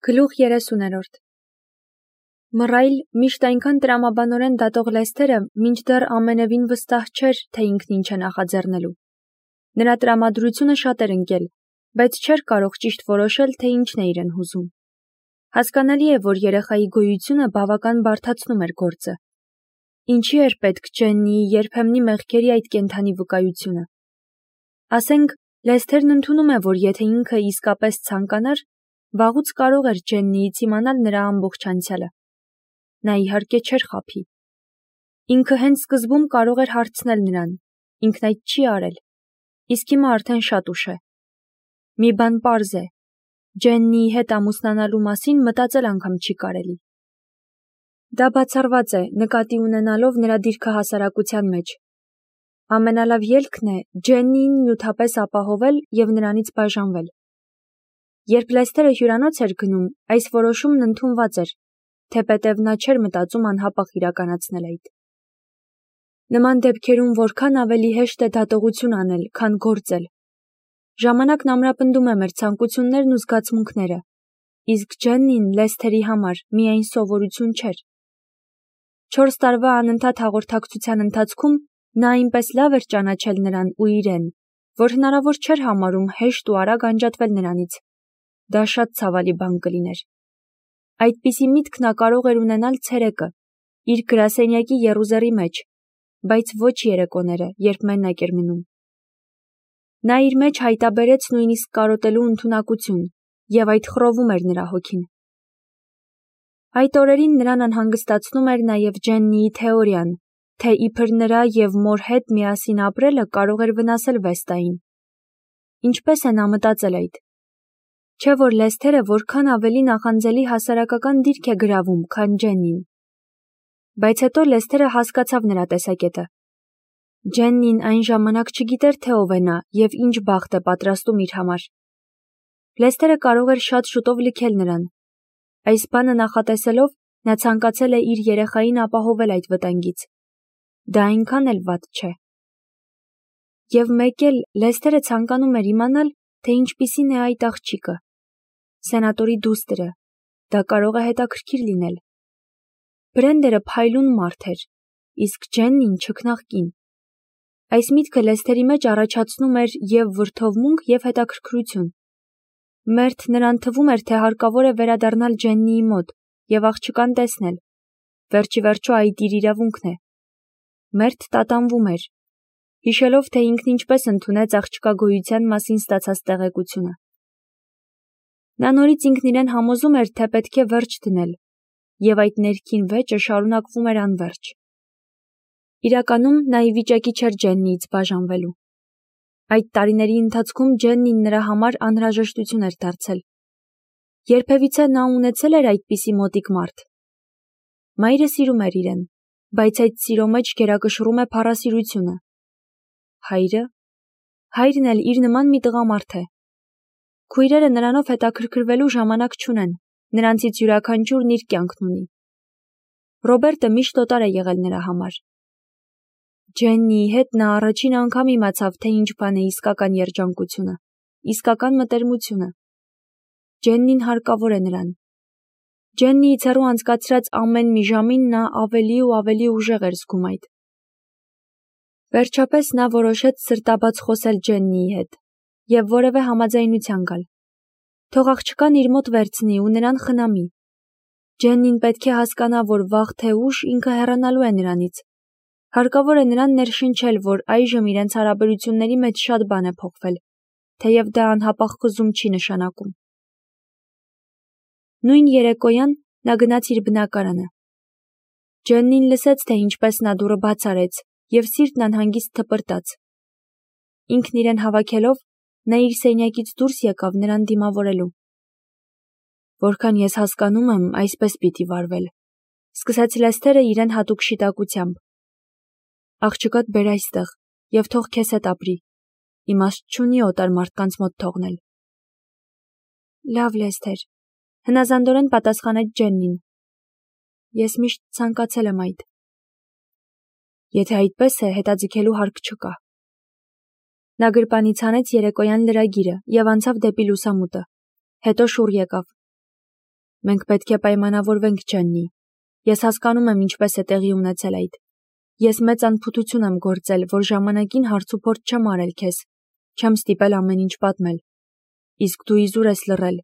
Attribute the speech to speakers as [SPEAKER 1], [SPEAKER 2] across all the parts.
[SPEAKER 1] Գլուխ 30-րդ Մռայլ միշտ այնքան տրամաբանորեն դատող Լեսթերը մինչդեռ ամենևին վստահ չէր, թե ինքն ինչ է նախաձեռնելու։ Նրա տրամադրությունը շատ էր ընկել, բայց չէր կարող ճիշտ որոշել, թե ինչն է իրեն հուզում։ Հասկանալի է, որ երեխայի գոյությունը բավական բարդացնում էր գործը։ Ինչի էր պետք Ջեննիի երբեմնի մեղքերի այդ կենդանի վկայությունը։ Ասենք, Լեսթերն ընդունում է, որ եթե ինքը իսկապես ցանկանար, վաղուց կարող էր Ջեննիից իմանալ նրա ամբողջ անցյալը։ Նա իհարկե չէր խաբի։ Ինքը հենց սկզբում կարող էր հարցնել նրան, ինքն այդ չի արել, իսկ հիմա արդեն շատ ուշ է։ Մի բան պարզ է, Ջեննիի հետ ամուսնանալու մասին մտածել անգամ չի կարելի։ Դա բացառված է, նկատի ունենալով նրա դիրքը հասարակության մեջ։ Ամենալավ ելքն է Ջեննիին նյութապես ապահովել և նրանից բաժանվել։ Երբ Լեսթերը հյուրանոց էր գնում, այս որոշումն ընդունված էր, թեպետև նա չէր մտածում անհապաղ իրականացնել այդ։ Նման դեպքերում որքան ավելի հեշտ է դատողություն անել, քան գործել։ Ժամանակն ամրապնդում է մեր ցանկություններն ու զգացմունքները, իսկ Ջեննին Լեսթերի համար միայն սովորություն չէր։ 4 տարվա անընդհատ հաղորդակցության ընթացքում նա այնպես լավ էր ճանաչել նրան ու իրեն, որ հնարավոր չէր համարում հեշտ ու արագ անջատվել նրանից։ Դա շատ ցավալի բան կլիներ։ Այդպիսի միտք նա կարող էր ունենալ ցերեկը, իր գրասենյակի եռուզեռի մեջ, բայց ոչ երեկոները, երբ մենակ էր մնում։ Նա իր մեջ հայտաբերեց նույնիսկ կարոտելու ընդունակություն, և այդ խռովում էր նրա հոգին։ Այդ օրերին նրան անհանգստացնում էր նաև Ջեննիի թեորիան, թե իբր նրա և մոր հետ միասին ապրելը կարող էր վնասել Վեստային։ Ինչպես է նա մտածել այդ։ Չէ՞ որ Լեսթերը որքան ավելի նախանձելի հասարակական դիրք է գրավում, քան Ջեննին։ Բայց հետո Լեսթերը հասկացավ նրա տեսակետը։ Ջեննին այն ժամանակ չգիտեր, թե ով է նա և ինչ բախտ է պատրաստում իր համար։ Լեսթերը կարող էր շատ շուտով լքել նրան։ Այս բանը նախատեսելով, նա ցանկացել է իր երեխային ապահովել այդ վտանգից։ Դա այնքան էլ վատ չէ։ Եվ մեկ էլ Լեսթերը ցանկանում էր իմանալ, թե ինչպիսին է այդ աղջիկը։ Սենատորի դուստրը, դա կարող է հետաքրքիր լինել։ Բրենդերը փայլուն մարդ էր, իսկ Ջեննին չքնաղ կին։ Այս միտքը Լեսթերի մեջ առաջացնում էր և վրդովմունք, և հետաքրքրություն։ Մերթ նրան թվում էր, թե հարկավոր է վերադառնալ Ջեննիի մոտ և աղջկան տեսնել։ Վերջիվերջո այդ իր իրավունքն է։ Մերթ տատանվում էր, հիշելով, թե ինքն ինչպես ընդունեց աղջկա գոյության մասին ստացած տեղեկությունը։ Նա նորից ինքն իրեն համոզում էր, թե պետք է վերջ դնել, և այդ ներքին վեճը շարունակվում էր անվերջ։ Իրականում նա ի վիճակի չէր Ջեննիից բաժանվելու։ Այդ տարիների ընթացքում Ջեննին նրա համար անհրաժեշտություն էր դարձել։ Երբևիցե նա ունեցել էր այդպիսի մոտիկ մարդ։ Մայրը սիրում էր իրեն, բայց այդ սիրո մեջ գերակշռում է փառասիրությունը։ Հայրն էլ իր նման մի տղամարդ է։ Քույրերը նրանով հետաքրքրվելու ժամանակ չունեն, նրանցից յուրաքանչյուրն իր կյանքն ունի։ Ռոբերտը միշտ օտար է եղել նրա համար։ Ջեննիի հետ նա առաջին անգամ իմացավ, թե ինչ բան է իսկական երջանկությունը, իսկական մտերմությունը։ Ջեննին հարկավոր է նրան։ Ջեննիից հեռու անցկացրած ամեն մի ժամին նա ավելի ու ավելի ուժեղ էր զգում այդ։ Վերջապես նա որոշեց սրտաբաց խոսել Ջեննիի հետ և որևէ համաձայնության գալ։ Թող աղջկան իր մոտ վերցնի ու նրան խնամի։ Ջեննին պետք է հասկանա, որ վաղ թե ուշ ինքը հեռանալու է նրանից։ Հարկավոր է նրան ներշնչել, որ այժմ իրենց հարաբերությունների մեջ շատ բան է փոխվել, թեև դա անհապաղ խզում չի նշանակում։ Նույն երեկոյան նա գնաց իր բնակարանը։ Ջեննին լսեց, թե ինչպես նա դուռը բաց արեց, և սիրտն անհանգիստ թպրտաց։ Ինքն իրեն հավաքելով, նա իր սենյակից դուրս եկավ նրան դիմավորելու։ Որքան ես հասկանում եմ, այսպես պիտի վարվել, սկսեց Լեսթերը իրեն հատուկ շիտակությամբ։ Աղջկադ բեր այստեղ և թող քեզ հետ ապրի, իմաստ չունի օտար մարդկանց մոտ թողնել։ Լավ, Լեսթեր, հնազանդորեն պատասխանեց Ջեննին։ Ես միշտ ցանկացել եմ այդ։ Եթե այդպես է, հետաձգելու հարկ չկա։ Նա գրպանից հանեց երեկոյան լրագիրը և անցավ դեպի լուսամուտը, հետո շուռ եկավ։ Մենք պետք է պայմանավորվենք, Ջեննի։ Ես հասկանում եմ ինչպես է տեղի ունեցել այդ։ Ես մեծ անփութություն եմ գործել, որ ժամանակին հարցուփորձ չեմ արել քեզ, չեմ ստիպել ամեն ինչ պատմել։ Իսկ դու իզուր ես լռել,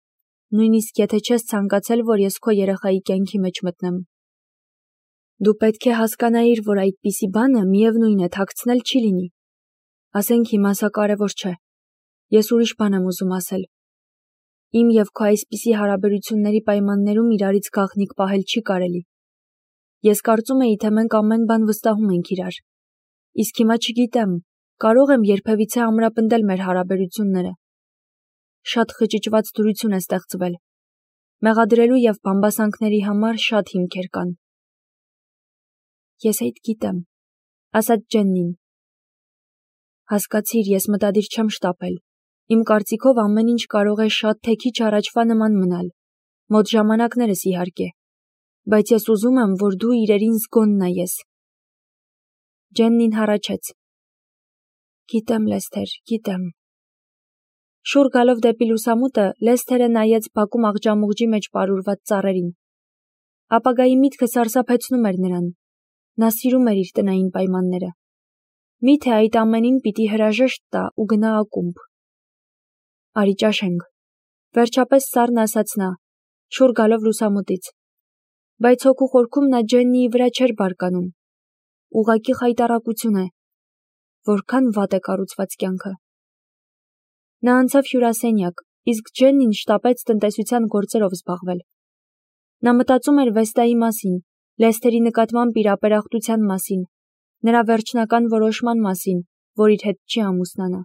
[SPEAKER 1] նույնիսկ եթե չես ցանկացել, որ ես քո երեխայի կյանքի մեջ մտնեմ։ Դու պետք է հասկանայիր, որ այդպիսի բանը միևնույն է թաքցնել չի լինի։ Ասենք հիմա սա կարևոր չէ։ Ես ուրիշ բան եմ ուզում ասել։ Իմ և քո այսպիսի հարաբերությունների պայմաններում իրարից գաղտնիք պահել չի կարելի։ Ես կարծում էի, թե մենք ամեն բան վստահում ենք իրար։ Իսկ հիմա չգիտեմ, կարող եմ երբևիցե ամրապնդել մեր հարաբերությունները։ Շատ խճճված դրություն է ստեղծվել։ Մեղադրելու և բամբասանքների համար շատ հիմքեր կան։ Ես այդ գիտեմ, ասաց Ջեննին։ Հասկացիր, ես մտադիր չեմ շտապել։ Իմ կարծիքով ամեն ինչ կարող է շատ թե քիչ առաջվա նման մնալ, մոտ ժամանակներս իհարկե, բայց ես ուզում եմ, որ դու իրերին զգոն նայես։ Ջեննին հառաչեց։ Գիտեմ, Լեսթեր, գիտեմ։ Շուռ գալով դեպի լուսամուտը, Լեսթերը նայեց բակում աղջամուղջի մեջ պարուրված ծառերին։ Ապագայի միտքը սարսափեցնում էր նրան։ Նա սիրում էր իր տնային պայմանները։ Միթե այդ ամենին պիտի հրաժեշտ տա ու գնա ակումբ։ Արի ճաշենք։ Վերջապես սառն ասաց նա, շուռ գալով լուսամուտից։ Բայց հոգու խորքում նա Ջեննիի վրա չէր բարկանում։ Ուղղակի խայտառակություն է։ Որքան վատ է կառուցված կյանքը։ Նա անցավ հյուրասենյակ, իսկ Ջեննին շտապեց տնտեսության գործերով զբաղվել։ Նա մտածում էր Վեստայի մասին, Լեսթերի նկատմամբ իր ապերախտության մասին, նրա վերջնական որոշման մասին, որ իր հետ չի ամուսնանա։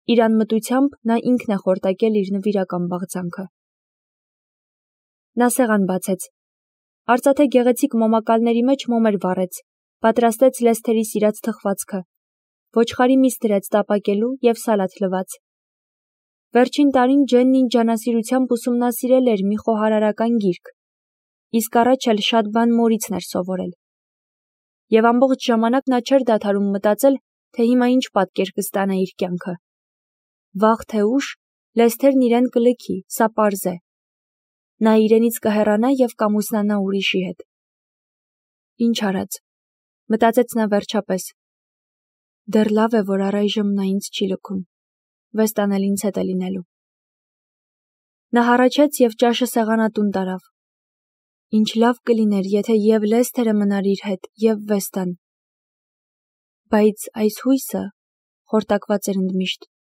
[SPEAKER 1] Իր անմտությամբ նա ինքն է խորտակել իր նվիրական բաղձանքը։ Նա սեղան բացեց։ Արծաթե գեղեցիկ մոմակալների մեջ մոմեր վառեց, պատրաստեց Լեսթերի սիրած թխվածքը, ոչխարի միս դրեց տապակելու և սալաթ լվաց։ Վերջին տարին Ջեննին ջանասիրությամբ ուսումնասիրել էր մի խոհարարական գիրք, իսկ առաջ էլ շատ բան մորիցն էր սովորել։ Եվ ամբողջ ժամանակ նա չէր դադարում մտածել, թե հիմա ինչ պատկեր կստանա իր կյանքը։ Վաղ թե ուշ Լեսթերն իրեն կլքի, սա պարզ է։ Նա իրենից կհեռանա և կամուսնանա ուրիշի հետ։ Ինչ արած, մտածեց նա վերջապես։ Դեռ լավ է, որ առայժմ նա ինձ չի լքում, Վեստան էլ ինձ հետ է լինելու։ Նա հառաչեց և ճաշը սեղանատուն տարավ։ Ինչ լավ կլիներ, եթե և Լեսթերը մնար իր հետ, և Վեստան։ Բայց այս հույսը խորտակված էր ընդմիշտ։